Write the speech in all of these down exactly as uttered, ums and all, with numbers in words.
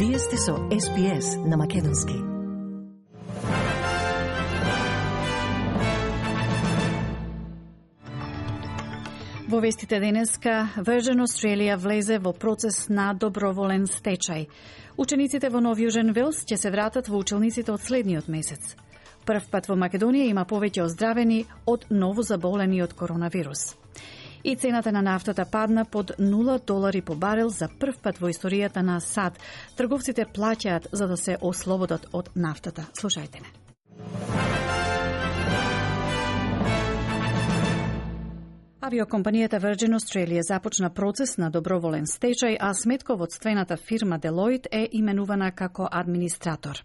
Вие сте со Ес Би Ес на Македонски. Во вестите денеска, Virgin Australia влезе во процес на доброволен стечај. Учениците во Нов Јужен Велс ќе се вратат во училниците од следниот месец. Прв пат во Македонија има повеќе оздравени од ново заболени од коронавирус. И цената на нафтата падна под нула долари по барел за прв пат во историјата на САД. Трговците плаќаат за да се ослободат од нафтата. Слушајте не. Авиокомпанијата Virgin Australia започна процес на доброволен стечај, а сметководствената фирма Deloitte е именувана како администратор.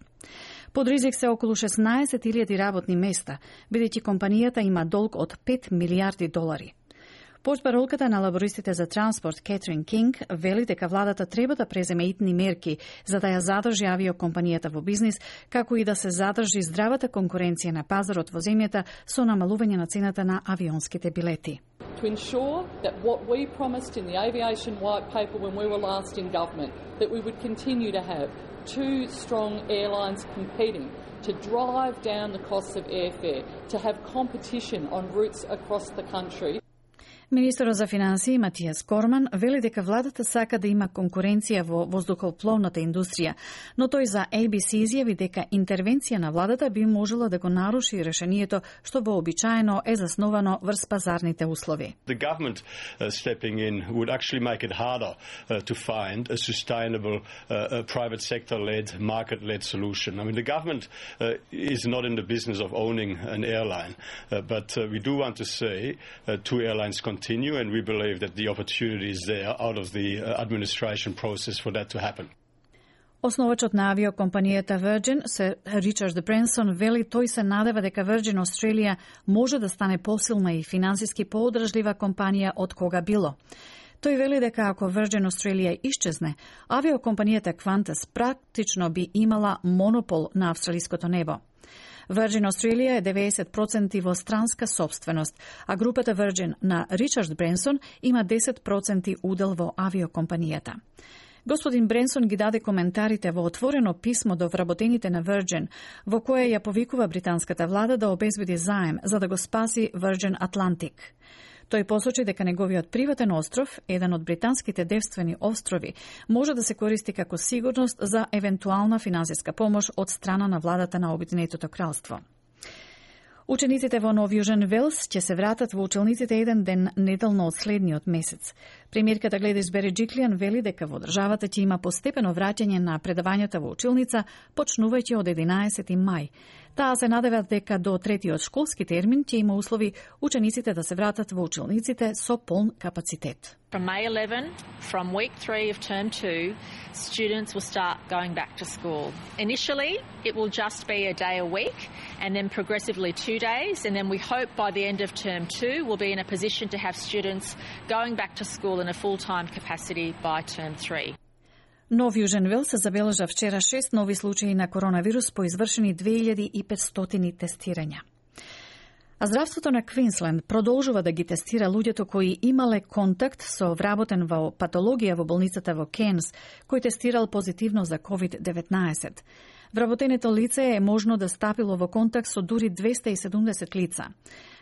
Под ризик се околу шеснаесет илјади работни места, бидејќи компанијата има долг од пет милијарди долари. Портпаролката на лабористите за транспорт Кетрин Кинг вели дека владата треба да преземе итни мерки за да ја задржи авиокомпанијата во бизнис, како и да се задржи здравата конкуренција на пазарот во земјата со намалување на цената на авионските билети. To ensure that what we promised in the aviation white paper when we were last in government, that we would continue to have two strong airlines competing to drive down the costs of airfare, to have competition on routes across the country. Министерот за финансии Матијас Корман вели дека владата сака да има конкуренција во воздухопловната индустрија, но тој за А Б С изјави дека интервенција на владата би можела да го наруши решението што вообичаено е засновано врз пазарните услови. The government uh, stepping in would actually make it harder uh, to find a sustainable uh, a private sector-led, market-led solution. I mean, the government uh, is not in the business of owning an airline, uh, but uh, we do want to say uh, two airlines continue, and we believe that the opportunity is there out of the uh, administration process for that to happen. Основачот на авиокомпанијата Virgin, Сер Ричард Бренсон, вели тој се надева дека Virgin Australia може да стане посилна и финансиски поодржлива компанија од кога било. Тој вели дека ако Virgin Australia исчезне, авиокомпанијата Qantas практично би имала монопол на австралиското небо. Virgin Australia е деветдесет проценти во странска собственост, а групата Virgin на Ричард Бренсон има десет проценти удел во авиокомпанијата. Господин Бренсон ги даде коментарите во отворено писмо до вработените на Virgin, во кое ја повикува британската влада да обезбеди заем за да го спаси Virgin Atlantic. Тој посочи дека неговиот приватен остров, еден од британските девствени острови, може да се користи како сигурност за евентуална финансиска помош од страна на владата на Обединетото кралство. Учениците во Нов Јужен Велс ќе се вратат во училниците еден ден неделно од следниот месец. Премиерката Гледис Береджиклијан вели дека во државата ќе има постепено враќање на предавањата во училница, почнувајќи од единаесети мај. Таа се надева дека до третиот школски термин ќе има услови учениците да се вратат во училниците со полн капацитет. From May eleventh, from week three of term two, students will start going back to school. Initially, it will just be a day a week, and then progressively two days, and then we hope by the end of term two we'll be in a position to have students going back to school in a full-time capacity by term three. Нов Јужен Велс забележа вчера шест нови случаи на коронавирус по извршени две илјади и петстотини тестирања. А здравството на Квинсленд продолжува да ги тестира луѓето кои имале контакт со вработен во патологија во болницата во Кенс, кој тестирал позитивно за ковид деветнаесет. Вработеното лице е можно да стапило во контакт со дури двесте и седумдесет лица.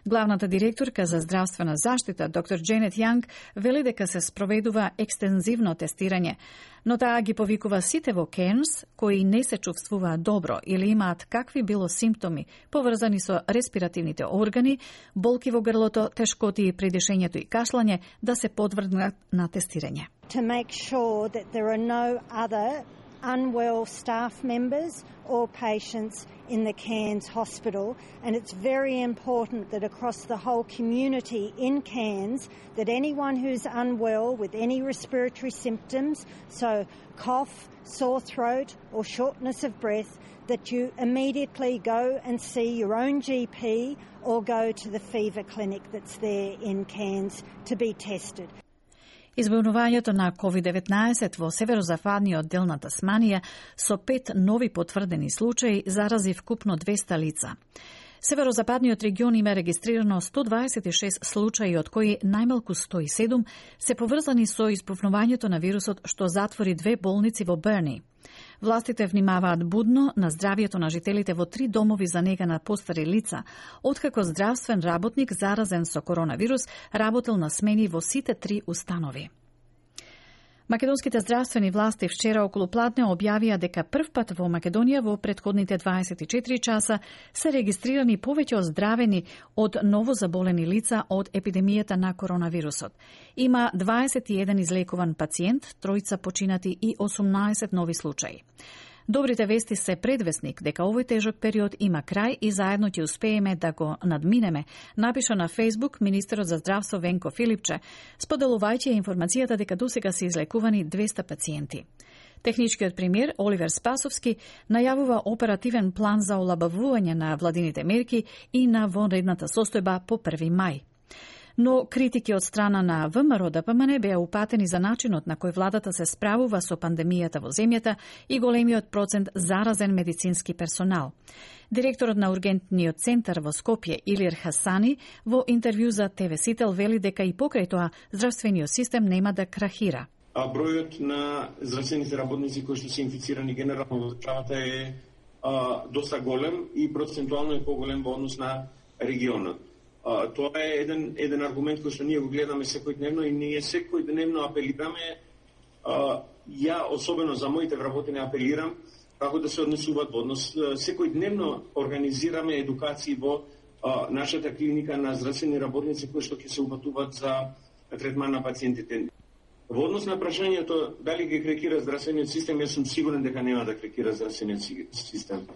Главната директорка за здравствена заштита, доктор Дженет Јанг, вели дека се спроведува екстензивно тестирање, но таа ги повикува сите во Кенс кои не се чувствуваат добро или имаат какви било симптоми поврзани со респиративните органи, болки во грлото, тешкоти при дишењето и кашлање, да се подвргнат на тестирање. To make sure that there are no other unwell staff members or patients in the Cairns hospital, and it's very important that across the whole community in Cairns that anyone who's unwell with any respiratory symptoms, so cough, sore throat or shortness of breath, that you immediately go and see your own G P or go to the fever clinic that's there in Cairns to be tested. Избавувањето на ковид деветнаесет во северозападниот дел на Тасманија со пет нови потврдени случаи зарази вкупно двесте лица. Северозападниот регион има регистрирано сто дваесет и шест случаи, од кои најмалку сто и седум се поврзани со избавувањето на вирусот, што затвори две болници во Берни. Властите внимаваат будно на здравието на жителите во три домови за нега на постари лица, откако здравствен работник заразен со коронавирус работел на смени во сите три установи. Македонските здравствени власти вчера околу пладне објавија дека првпат во Македонија во претходните дваесет и четири часа се регистрирани повеќе оздравени од новозаболени лица од епидемијата на коронавирусот. Има дваесет и еден излекуван пациент, тројца починати и осумнаесет нови случаи. Добрите вести се предвестник дека овој тежок период има крај и заедно ќе успееме да го надминеме, напиша на Facebook министерот за здравство Венко Филипче, споделувајќи информацијата дека досега се излекувани двеста пациенти. Техничкиот премиер Оливер Спасовски најавува оперативен план за олабавување на владините мерки и на вонредната состојба по први мај. Но критики од страна на ВМРО Д П М Н беа упатени за начинот на кој владата се справува со пандемијата во земјата и големиот процент заразен медицински персонал. Директорот на ургентниот центар во Скопје Илир Хасани во интервју за Т В Сител вели дека и покрај тоа здравствениот систем нема да крахира. А бројот на здравствените работници кои што се инфицирани генерално во државата е а, доста голем и процентуално е поголем во однос на регионот. Uh, тоа е еден, еден аргумент кој што ние го гледаме секојдневно и ние секојдневно апелираме, uh, ја особено за моите вработени апелирам, како да се однесуваат во однос. Uh, секојдневно организираме едукации во uh, нашата клиника на здравствени работници кои што ќе се упатуваат за третман на пациентите. Во однос на прашањето дали ги крекира здравствениот систем, јас сум сигурен дека нема да крекира здравствениот систем.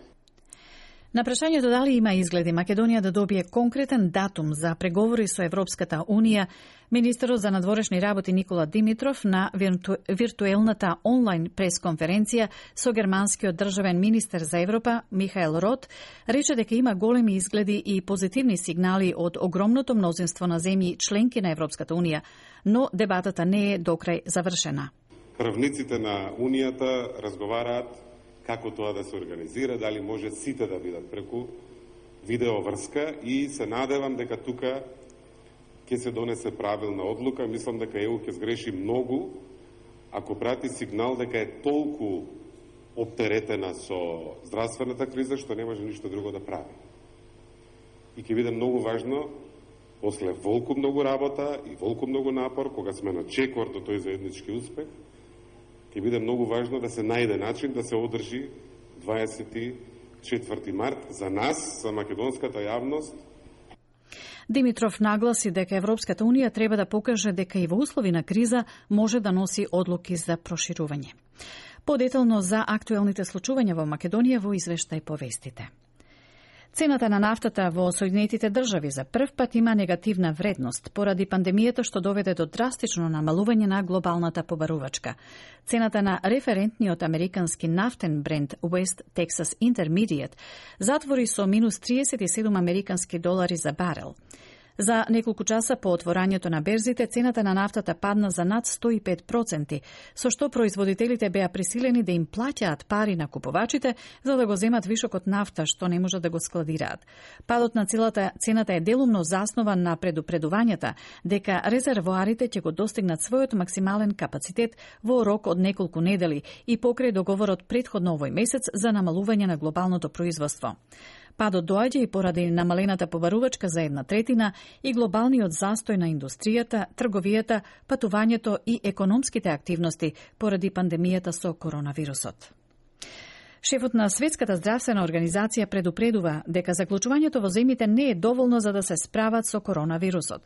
На прашањето дали има изгледи Македонија да добие конкретен датум за преговори со Европската Унија, министерот за надворешни работи Никола Димитров на вирту... виртуелната онлайн пресконференција со германскиот државен министер за Европа Михаел Рот рече дека има големи изгледи и позитивни сигнали од огромното мнозинство на земји членки на Европската Унија, но дебатата не е докрај завршена. Правниците на Унијата разговараат како тоа да се организира, дали може сите да видат преку видеоврска и се надевам дека тука ќе се донесе правилна одлука. Мислам дека Е У ќе сгреши многу ако прати сигнал дека е толку оптеретена со здравствената криза што не може ништо друго да прави. И ќе биде многу важно после волку многу работа и волку многу напор, кога сме на чекор до тој заеднички успех, ќе биде многу важно да се најде начин да се одржи дваесет и четврти март за нас, за македонската јавност. Димитров нагласи дека Европската Унија треба да покаже дека и во услови на криза може да носи одлуки за проширување. Подетално за актуелните случувања во Македонија во извештај по вестите. Цената на нафтата во Соединетите држави за прв пат има негативна вредност поради пандемијата што доведе до драстично намалување на глобалната побарувачка. Цената на референтниот американски нафтен бренд West Texas Intermediate затвори со минус триесет и седум американски долари за барел. За неколку часа по отворањето на берзите, цената на нафтата падна за над сто и пет проценти, со што производителите беа присилени да им плаќаат пари на купувачите за да го земат вишокот нафта што не можат да го складираат. Падот на целата цената е делумно заснован на предупредувањата дека резервоарите ќе го достигнат својот максимален капацитет во рок од неколку недели и покрај договорот претходно овој месец за намалување на глобалното производство. Падот доаѓа и поради намалената побарувачка за една третина и глобалниот застој на индустријата, трговијата, патувањето и економските активности поради пандемијата со коронавирусот. Шефот на Светската здравствена организација предупредува дека заклучувањето во земјите не е доволно за да се справат со коронавирусот.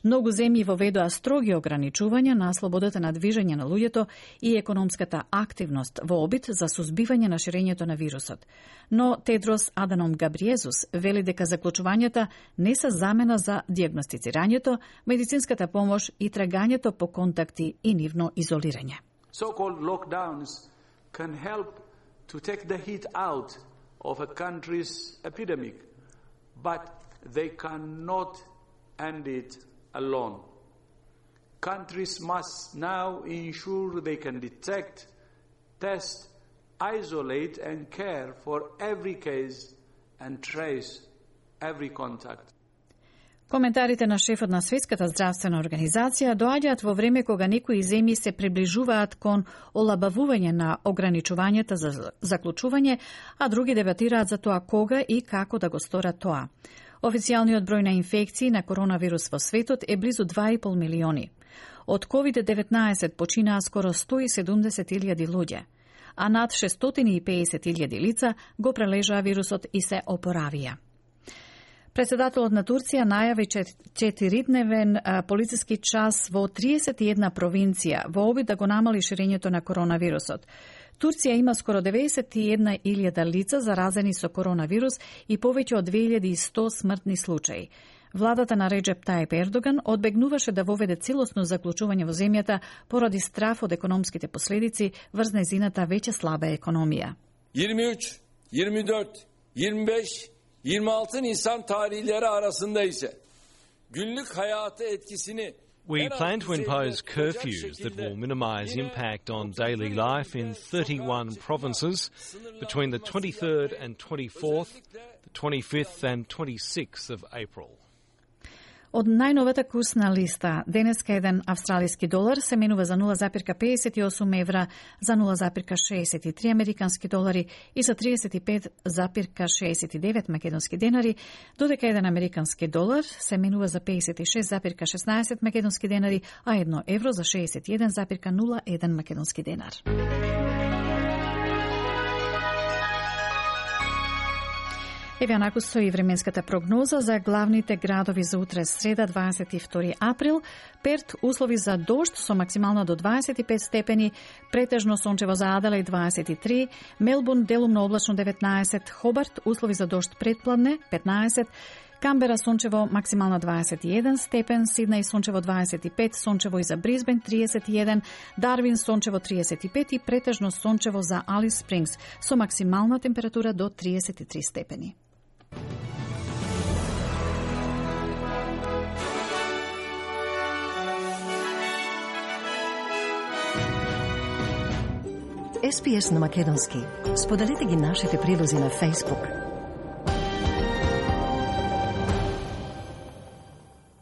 Многу земји воведоа строги ограничувања на слободата на движење на луѓето и економската активност во обид за сузбивање на ширењето на вирусот. Но Тедрос Аданом Габриезус вели дека заклучувањата не се замена за дијагностицирањето, медицинската помош и трагањето по контакти и нивно изолирање. So-called lockdowns can help to take the heat out of a country's epidemic, but they cannot end it alone. Countries must now ensure they can detect, test, isolate and care for every case and trace every contact. Коментарите на шефот на Светската здравствена организација доаѓаат во време кога некои земји се приближуваат кон олабавување на ограничувањата за заклучување, а други дебатираат за тоа кога и како да го сторат тоа. Официјалниот број на инфекции на коронавирус во светот е близу два и пол милиони. Од ковид деветнаесет починаа скоро сто и седумдесет илјади луѓе, а над шестстотини и педесет илјади лица го прележаа вирусот и се опоравија. Председателот на Турција најави четиридневен полициски час во триесет и една провинција во обид да го намали ширењето на коронавирусот. Турција има скоро деветдесет и една илјада лица заразени со коронавирус и повеќе од две илјади и сто смртни случаи. Владата на Реджеп Тајип Ердоган одбегнуваше да воведе целосно заклучување во земјата поради страф од економските последици врз нејзината веќе слаба економија. yirmi üç, yirmi dört, yirmi beş, yirmi altı Nisan tarihleri arasında ise günlük hayatı etkisini We plan to impose curfews that will minimise impact on daily life in thirty-one provinces between the twenty-third and twenty-fourth, the twenty-fifth and twenty-sixth of April. Од најновата курсна листа, денеска еден австралиски долар се менува за нула запирка педесет и осум евра, за нула запирка шеесет и три американски долари и за тридесет и пет запирка шеесет и девет македонски денари, додека еден американски долар се менува за педесет и шест запирка шеснаесет македонски денари, а едно евро за шеесет и еден запирка нула еден македонски денар. Еве анаку стои временската прогноза за главните градови за утре среда дваесет и втори април. Перт услови за дожд со максимално до дваесет и пет степени, претежно сончево за Аделаид дваесет и три, Мелбурн делумно облачно деветнаесет, Хобарт услови за дожд предпладне петнаесет, Камбера сончево максимално дваесет и еден степен, Сиднеј сончево дваесет и пет, сончево и за Брисбен триесет и еден, Дарвин сончево триесет и пет и претежно сончево за Алис Спрингс со максимална температура до триесет и три степени. Ес Пи Ес на македонски. Споделете ги нашите прилози на Facebook.